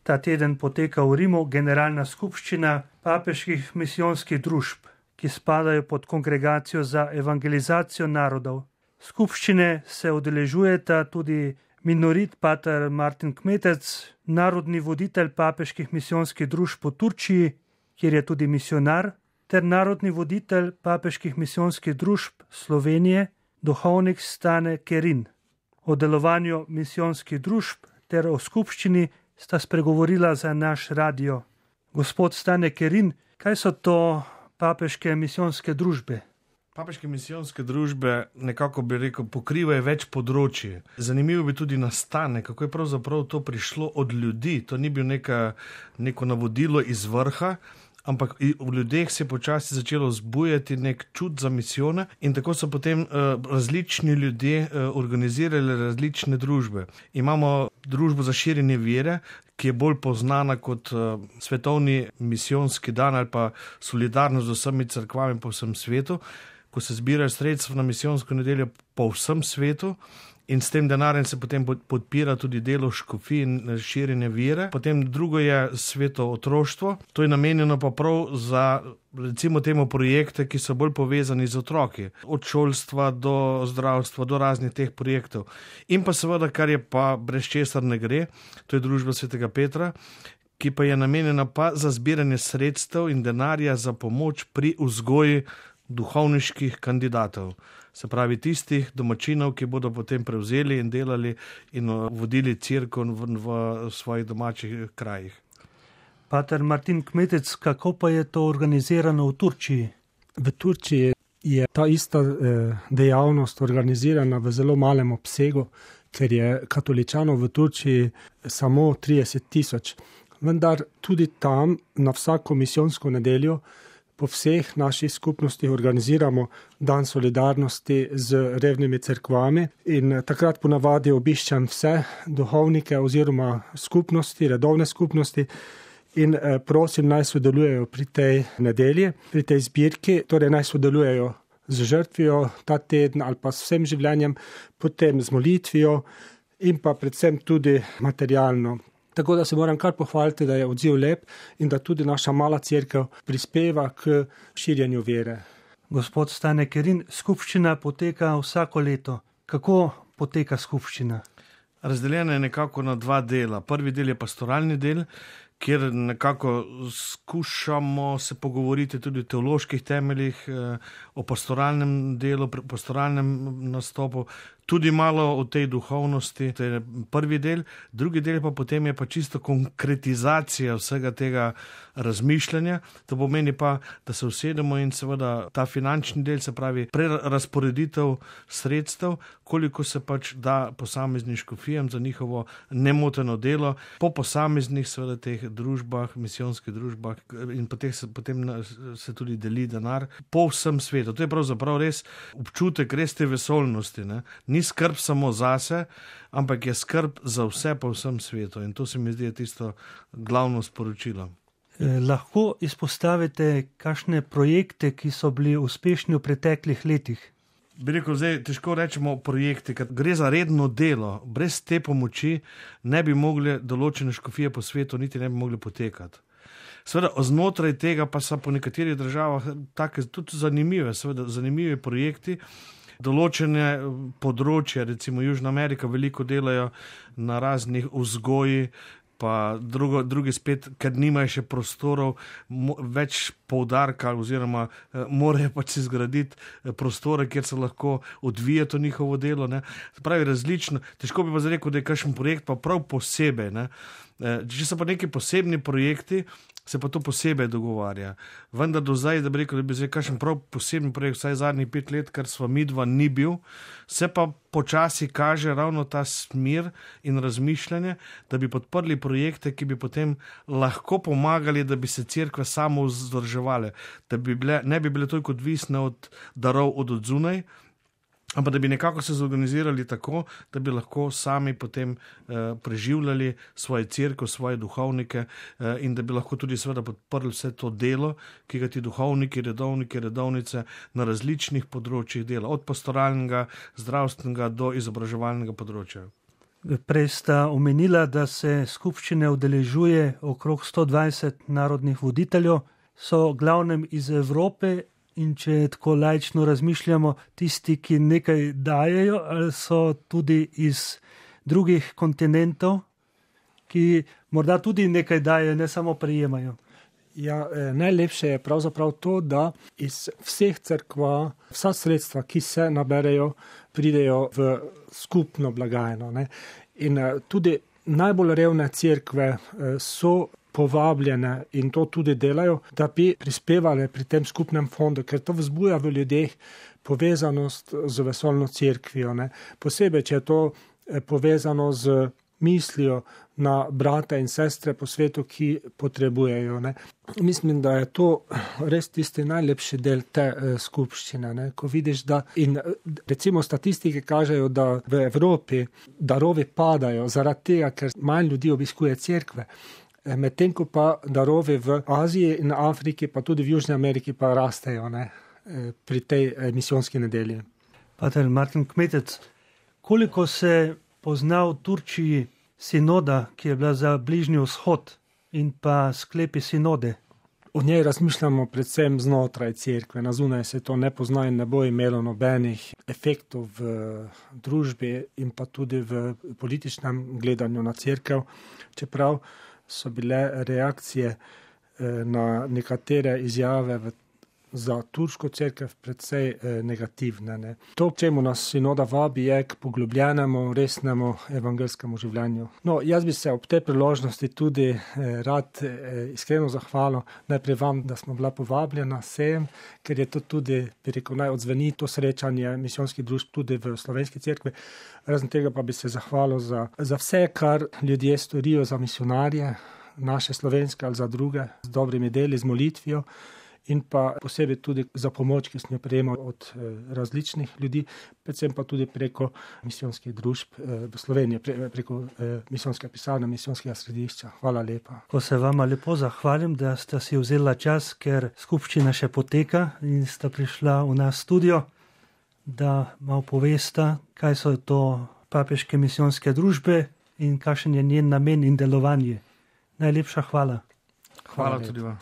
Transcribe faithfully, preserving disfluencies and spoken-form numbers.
ta teden poteka v Rimu generalna skupščina papeških misijonskih družb, ki spadajo pod Kongregacijo za evangelizacijo narodov. Skupščine se udeležujeta tudi minorit pater Martin Kmetec, narodni voditelj papeških misijonskih družb v Turčiji, kjer je tudi misionar, ter narodni voditelj papeških misijonskih družb Slovenije, duhovnik Stane Kerin. O delovanju misijonskih družb ter o skupščini sta spregovorila za naš radio. Gospod Stane Kerin, kaj so to papeške misijonske družbe? Papeške misijonske družbe nekako bi rekel pokrivajo več področji. Zanimivo bi tudi nastanek, kako je pravzaprav to prišlo od ljudi. To ni bil neka, neko navodilo iz vrha, ampak v ljudeh se je počasi začelo zbujati nek čut za misijone in tako so potem uh, različni ljudje uh, organizirali različne družbe. Imamo družbo za širjenje vere, ki je bolj poznana kot uh, svetovni misijonski dan ali pa solidarnost z vsemi cerkvami po vsem svetu, ko se zbirajo sredstva na misijonsko nedeljo po vsem svetu in s tem denarjem se potem podpira tudi delo škofij in širjenje vere. Potem drugo je sveto otroštvo, to je namenjeno pa prav za recimo temu projekte, ki so bolj povezani z otroki, od šolstva do zdravstva, do raznih teh projektov. In pa seveda, kar je pa brez česar ne gre, to je družba svetega Petra, ki pa je namenjena pa za zbiranje sredstev in denarja za pomoč pri vzgoji duhovniških kandidatov. Se pravi tistih domačinov, ki bodo potem prevzeli in delali in vodili cerkev v, v svojih domačih krajih. Pater Martin Kmetec, kako pa je to organizirano v Turčiji? V Turčiji je ta ista eh, dejavnost organizirana v zelo malem obsegu, ker je katoličanov v Turčiji samo trideset tisoč. Vendar tudi tam na vsako misijonsko nedeljo po vseh naših skupnostih organiziramo dan solidarnosti z revnimi cerkvami in takrat ponavadi obiščam vse duhovnike oziroma skupnosti, redovne skupnosti in prosim naj sodelujejo pri tej nedelji, pri tej zbirki, torej naj sodelujejo z žrtvijo ta teden ali pa s vsem življenjem, potem z molitvijo in pa predvsem tudi materialno. Tako da se moram kar pohvaliti, da je odziv lep in da tudi naša mala cerkev prispeva k širjenju vere. Gospod Stane Kerin, skupščina poteka vsako leto. Kako poteka skupščina? Razdeljena je nekako na dva dela. Prvi del je pastoralni del, kjer nekako skušamo se pogovoriti tudi o teoloških temeljih, o pastoralnem delu, pastoralnem nastopu, tudi malo o tej duhovnosti, to je prvi del. Drugi del pa potem je pa čisto konkretizacija vsega tega razmišljanja. To pomeni pa, da se usedemo in seveda ta finančni del, se pravi prerazporeditev sredstev, koliko se pač da posameznim škofijam za njihovo nemoteno delo, po posameznih seveda teh družbah, misijonskih družbah in potem se, potem se tudi deli denar po vsem svetu. To je pravzaprav res občutek res te vesoljnosti, ne? Ni skrb samo zase, ampak je skrb za vse po vsem svetu in to se mi zdi tisto glavno sporočilo. Eh, lahko izpostavite kakšne projekte, ki so bili uspešni v preteklih letih? Bi rekel, zdaj težko rečemo projekti, ker gre za redno delo. Brez te pomoči ne bi mogli določene škofije po svetu niti ne bi mogli potekati. Seveda, znotraj tega pa so po nekaterih državah take tudi zanimive, seveda zanimivi projekti, določene področja, recimo Južna Amerika veliko delajo na raznih vzgoji, pa drugo, drugi spet, ker nimajo še prostorov, mo, več poudarka oziroma eh, morajo pač si zgraditi prostore, kjer se lahko odvija to njihovo delo. Ne. Pravi različno, težko bi pa rekel, da je kakšen projekt pa prav posebej. Ne. Eh, če so pa neki posebni projekti, se pa to posebej dogovarja. Vendar do zdaj, da bi rekel, da bi zdaj kakšen prav posebni projekt, vsaj zadnjih pet let, kar sva midva ni bil, se pa počasi kaže ravno ta smer in razmišljanje, da bi podprli projekte, ki bi potem lahko pomagali, da bi se cerkve samo vzdrževale, da bi bile, ne bi bile toliko odvisne od darov od odzunaj, ampak da bi nekako se zorganizirali tako, da bi lahko sami potem eh, preživljali svoje cerkev, svoje duhovnike eh, in da bi lahko tudi seveda podprli vse to delo, ki ga ti duhovniki, redovniki, redovnice na različnih področjih dela, od pastoralnega, zdravstvenega do izobraževalnega področja. Prej sta omenila, da se skupščine udeležuje okrog sto dvajset narodnih voditeljev, so glavnem iz Evrope in če tako laično razmišljamo, tisti, ki nekaj dajejo, ali so tudi iz drugih kontinentov, ki morda tudi nekaj dajejo, ne samo prejemajo. Ja, najlepše je pravzaprav to, da iz vseh cerkva vsa sredstva, ki se naberejo, pridejo v skupno blagajno. Ne? In tudi najbolj revne cerkve so povabljene in to tudi delajo, da bi prispevali pri tem skupnem fondu, ker to vzbuja v ljudeh povezanost z vesoljno cerkvijo. Ne? Posebej, če je to povezano z mislijo na brate in sestre po svetu, ki potrebujejo. Ne. Mislim, da je to res tisti najlepši del te eh, skupščine. Ne. Ko vidiš, da in recimo statistike kažejo, da v Evropi darovi padajo zaradi tega, ker manj ljudi obiskuje cerkve, medtem ko pa darovi v Aziji in Afriki, pa tudi v Južni Ameriki pa rastejo, ne, pri tej misijonski nedelji. Pater Martin Kmetec, koliko se pozna v Turčiji sinoda, ki je bila za Bližnji vzhod in pa sklepi sinode? O njej razmišljamo predvsem znotraj cerkve, na zunaj se to ne pozna in ne bo imelo nobenih efektov v družbi in pa tudi v političnem gledanju na cerkev, čeprav so bile reakcije na nekatere izjave v za turško cerkev predvsej eh, negativne. Ne. To, čemu nas sinoda vabi, je k poglobljenemu, resnemu evangelskemu življenju. No, jaz bi se ob tej priložnosti tudi eh, rad eh, iskreno zahvalil najprej vam, da smo bila povabljena sem, ker je to tudi, bi rekel, naj odzveni to srečanje misijonskih družb tudi v slovenski cerkvi. Razen tega pa bi se zahvalil za, za vse, kar ljudje storijo za misionarje, naše slovenske ali za druge, z dobrimi deli, z molitvijo, in pa posebej tudi za pomoč, ki smo jo prejemali od eh, različnih ljudi, predvsem pa tudi preko misijonskih družb eh, v Sloveniji, pre, preko eh, misijonske pisarne, misijonskega središča. Hvala lepa. Ko se vama lepo zahvalim, da ste si vzela čas, ker skupščina še poteka in sta prišla v nas studio, da malo povesta, kaj so to papeške misijonske družbe in kakšen je njen namen in delovanje. Najlepša hvala. Hvala, hvala tudi vam.